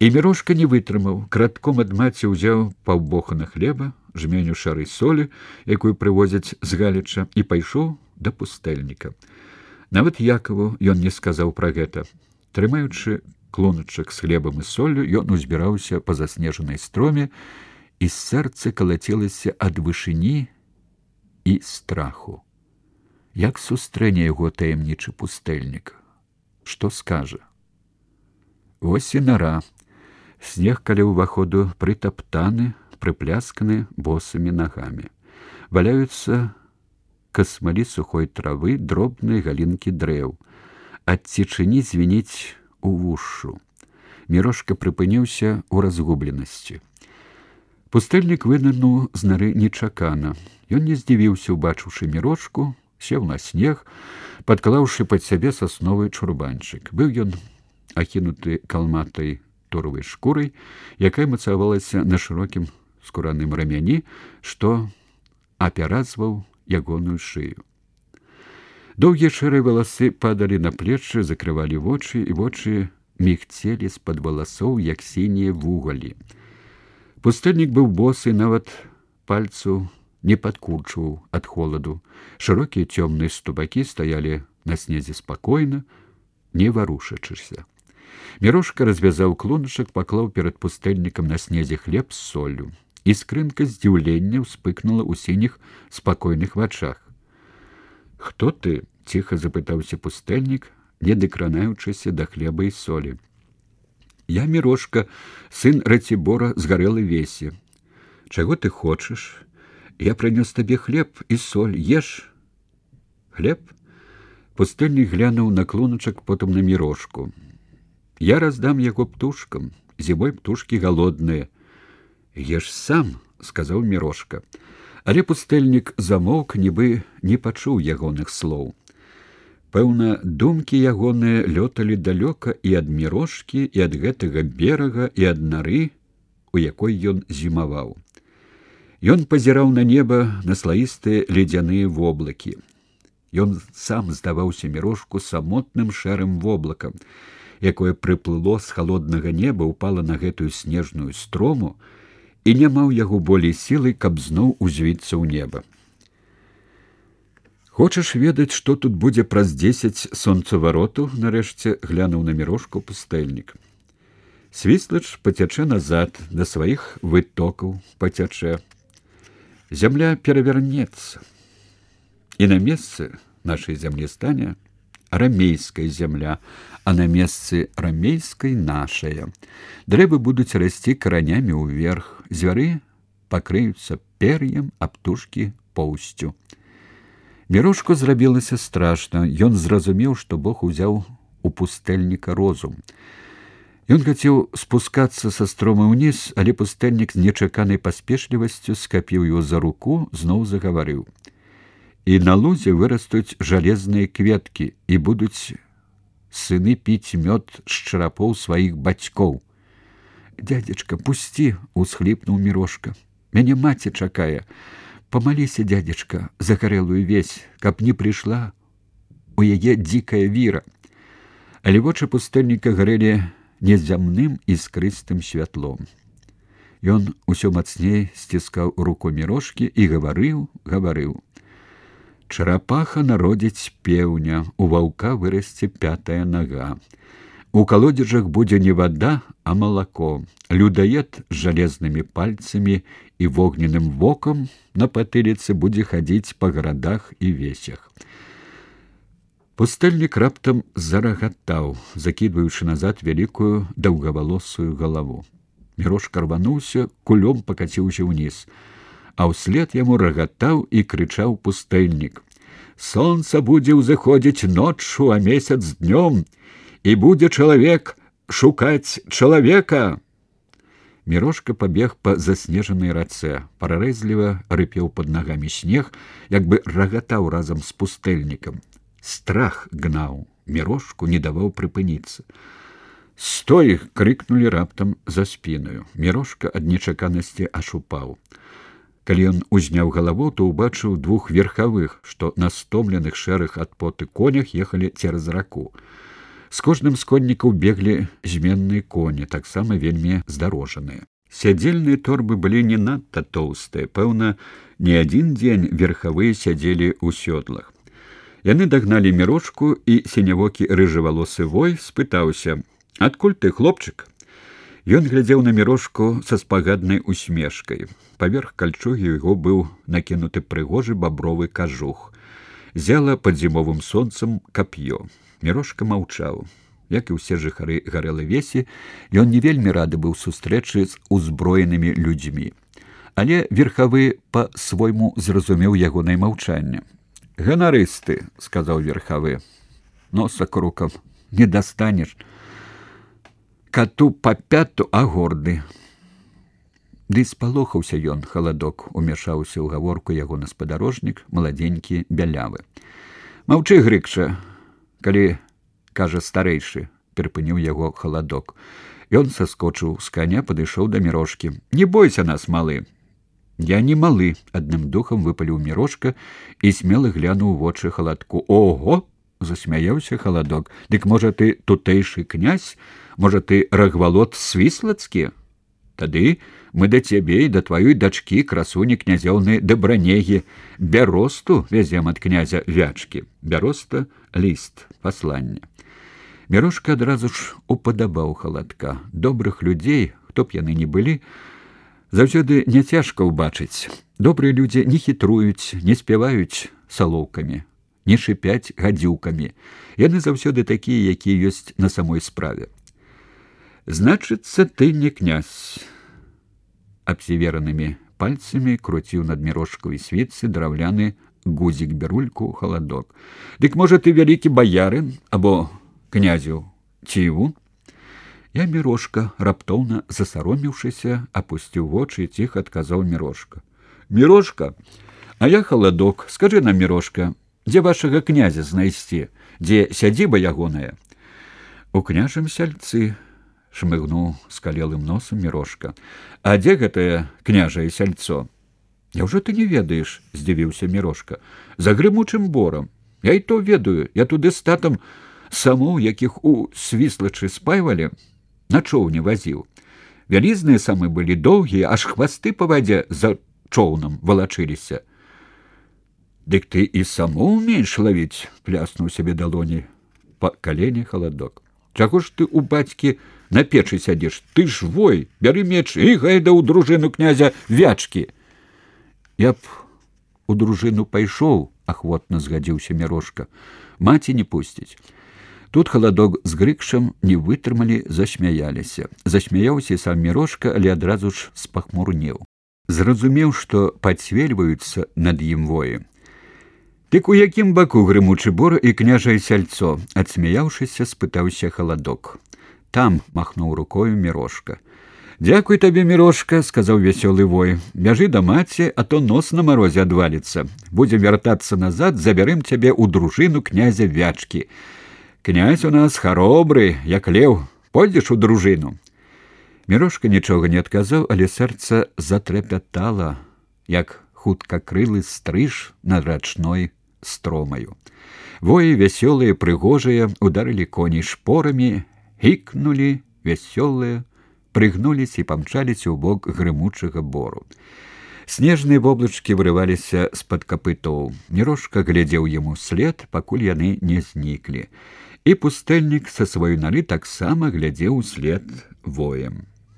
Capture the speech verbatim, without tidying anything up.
І Мірошка не вытрымаў, кратком ад маці ўзяў паўбохана хлеба, жменю шары солі, якую прывозяць з Галіча, і пайшоў да пустэльніка. Нават Якаву ён не сказаў пра гэта. Трымаючы клуначак з хлебам і соллю, ён узбіраўся па заснежанай строме, і сэрца калацілася ад вышыні і страху. Як сустрэне яго таямнічы пустэльнік? Што скажа? Вось і нара. Снег каля ўваходу прытаптаны, прыплясканы босымі нагамі. Валяюцца касмалі сухой травы, дробныя галінкі дрэў. Ад цішыні звініць увушшу. Мірошка прыпыніўся ў разгубленасці. Пустэльнік вынырнуў з нары нечакана. Ён не здзівіўся, убачыўшы Мірошку, сеў на снег, падклаўшы пад сябе сасновы чурбанчык. Быў ён акінуты калматай торовай шкурай, якая мацавалася на шырокім скураным рамяні, што апяразваў ягоную шыю. Доўгія шэрыя валасы падалі на плечы, закрывалі вочы, і вочы мігцелі з-пад валасоў, як сінія вугалі. Пустэльнік быў босы, нават пальцу не падкурчваў ад холаду. Шырокія цёмныя ступакі стаялі на снезе спакойна, не варушачыся. Мірошка развязаў клуначак, паклаў перад пустэльнікам на снезе хлеб з соллю. Іскрынка здзіўлення ўспыкнула ў сініх спакойных вачах. «Хто ты?» – ціха запытаўся пустэльнік, не дакранаючыся да хлеба і солі. «Я Мірошка, сын Ратибора з Гарэлай Весі. Чаго ты хочаш? Я прынёс табе хлеб і соль. Еш?» «Хлеб?» Пустэльнік глянуў на клуначак, потым на Мірошку. «Я раздам яго птушкам. Зімой птушкі галодныя». «Еш сам», – сказаў Мірошка. Але пустэльнік замоўк, нібы не пачуў ягоных слоў. Пэўна, думкі ягоныя лёталі далёка і ад Мірошкі, і ад гэтага берага, і ад нары, у якой ён зімаваў. Ён пазіраў на неба, на слаістыя ледзяныя воблакі. Ён сам здаваўся Мірошку самотным шэрым воблакам, якое прыплыло з халоднага неба, упала на гэтую снежную строму, і няма ў яго болей сілы, каб зноў узвіцца ў неба. «Хочаш ведаць, што тут будзе праз дзесяць сонцаваротаў?» – нарэшце глянуў на Мірошку пустэльнік. «Свіслач пацячэ назад, да сваіх вытокаў пацячэ. Зямля перавернецца, і на месцы нашай зямлі стане рамейская зямля, а на месцы рамейскай нашая. Дрэвы будуць расці каранямі ўверх, звяры пакрыюцца пер'ем, а птушкі поўсцю». Мірошку зрабілася страшна. Ён зразумеў, што Бог узяў у пустэльніка розум. Ён хацеў спускацца са стромы ўніз, але пустэльнік з нечаканай паспешлівасцю скапіў яго за руку, зноў загаварыў. «І на лузе вырастуць жалезныя кветкі, і будуць сыны піць мёд з чарапоў сваіх бацькоў». «Дядзечка, пусці!» – усхліпнуў Мірошка. «Мяне маці чакае. Памаліся, дядзечка, за Гарэлую Весь, каб не прыйшла у яе дзікая віра». Але вочы пустэльніка гарэлі незямным іскрыстым святлом. Ён усё мацней сціскаў руку Мірошкі і гаварыў, гаварыў. «Чарапаха народзіць пеўня, у ваўка вырасце пятая нага. У калодзежах будзе не вада, а малако. Людаед з жалезнымі пальцамі і вогненным вокам на патыліцы будзе хадзіць па гарадах і весях». Пустэльнік раптам зарагатаў, закідваючы назад вялікую даўгавалосую галаву. Мірошка рвануўся, кулём пакаціўся ўніз, а ўслед яму рагатаў і крычаў пустэльнік. «Сонца будзе ўзыходзіць ноччу, а месяц днём, і будзе чалавек шукаць чалавека». Мірошка пабег па заснежанай рацэ, прарэзліва рыпеў пад нагамі снег, як бы рагатаў разам з пустэльнікам. Страх гнаў Мірошку, не даваў прыпыніцца. «Стой!» – крыкнулі раптам за спінаю. Мірошка ад нечаканасці аж упаў. Калі ён узняў галаву, то ўбачыў двух верхавых, што на стомленых шэрых ад поты конях ехалі цераз раку. З кожным з коннікаў беглі зменныя коні, таксама вельмі здарожаныя. Сядзельныя торбы былі не надта тоўстыя, пэўна, не адзін дзень верхавыя сядзелі ў сёдлах. Яны дагналі Мірошку, і сінявокі рыжавалосы вой спытаўся: «Адкуль ты, хлопчык?» Ён глядзеў на Мірошку са спагаднай усмешкай. Паверх кальчугі яго быў накінуты прыгожы бабровы кажух. Зяла пад зімовым сонцам кап'ё. Мірошка маўчаў. Як і ўсе жыхары Гарэлы-Весі, ён не вельмі рады быў сустрэчы з узброенымі людзьмі. Але верхавы па-свойму зразумеў ягонае маўчанне. «Ганарысты», — сказаў верхавы, — «носа крукам не дастанеш. Кату па пяту, а горды». Ды спалохаўся ён, халадок, умяшаўся ў гаворку ягоны спадарожнік, маладзенькі бялявы. «Маўчы, Грыкча, калі, кажа, старэйшы», — перапыніў яго халадок. Ён саскочыў з каня, падышоў да Мірошкі. «Не бойся нас, малы». «Я не малы», — адным духам выпаліў Мірошка і смела глянуў у вочы халадку. «Ого!» — засмяяўся халадок. «Дык, можа, ты тутэйшы князь? Можа, ты рагвалод свіслацкі? Тады мы да цябе і да тваёй дачкі, красуні князёўны Дабранегі, бяросту вязем ад князя Вячкі». Бяроста — ліст, пасланне. Мірошка адразу ж упадабаў халадка. Добрых людзей, хто б яны ні былі, заўсёды няцяжка ўбачыць. Добрыя людзі не хітруюць, не спяваюць салоўкамі, не шыпяць гадзюкамі. Яны заўсёды такія, якія ёсць на самой справе. «Значыцца, ты не князь». Абсіверанымі пальцамі круціў над Мірошкавай світцы драўляны гузік-бярульку халадок. «Дык, можа, ты вялікі баярын або князю цівун?» Я, Мірошка, раптоўна засаромеўшыся, апусціў вочы і ціха адказаў Мірошка. «Мірошка, а я халадок. Скажы нам, Мірошка, дзе вашага князя знайсці, дзе сядзіба ягоная?» «У княжым сяльцы», — шмыгнуў скалелым носам Мірошка. «А дзе гэтае княжае сяльцо?» «Няўжо ты не ведаеш?» — здзівіўся Мірошка. «За грымучым борам. Я і то ведаю. Я туды з татам самоў, якіх у Свіслачы спайвалі, на чоўне вазіў. Вялізныя самы былі доўгія, аж хвасты па вадзе за чоўнам валачыліся». «Дык ты і саму ўмееш лавіць?» — пляснуў сябе далоні па калені халадок. «Чаго ж ты у бацькі на печы сядзеш? Ты ж вой, бяры меч і гайда ў дружыну князя Вячкі». «Я б у дружыну пайшоў», — ахвотна згадзіўся Мірошка. «Маці не пусціць». Тут халадок з Грыкшам не вытрымалі, засмяяліся. Засмяяўся сам Мірошка, але адразу ж спахмурнеў. Зразумеў, што пацвельваюцца над ім воі. «Дык у якім баку грымучы бор і княжае сяльцо?» — адсмяяўшыся, спытаўся халадок. «Там», — махнуў рукою Мірошка. «Дзякуй табе, Мірошка», — сказаў вясёлы вой. «Бяжы да маці, а то нос на марозе адваліцца. Будзем вяртацца назад, забярым цябе ў дружыну князя Вячкі. Князь у нас харобры, як леў. Пойдзеш у дружыну?» Мірошка нічога не адказаў, але сэрца затрапятала, як хуткакрылы стрыж над рачной стромаю. Воі вясёлыя, прыгожыя, ударылі коней шпорамі, гікнулі вясёлыя, прыгнуліся і памчаліся ў бок грымучага бору. Снежныя воблачкі вырываліся з-пад капытоў. Мірошка глядзеў яму след, пакуль яны не зніклі. І пустэльнік са сваёй нары таксама глядзеў услед воем.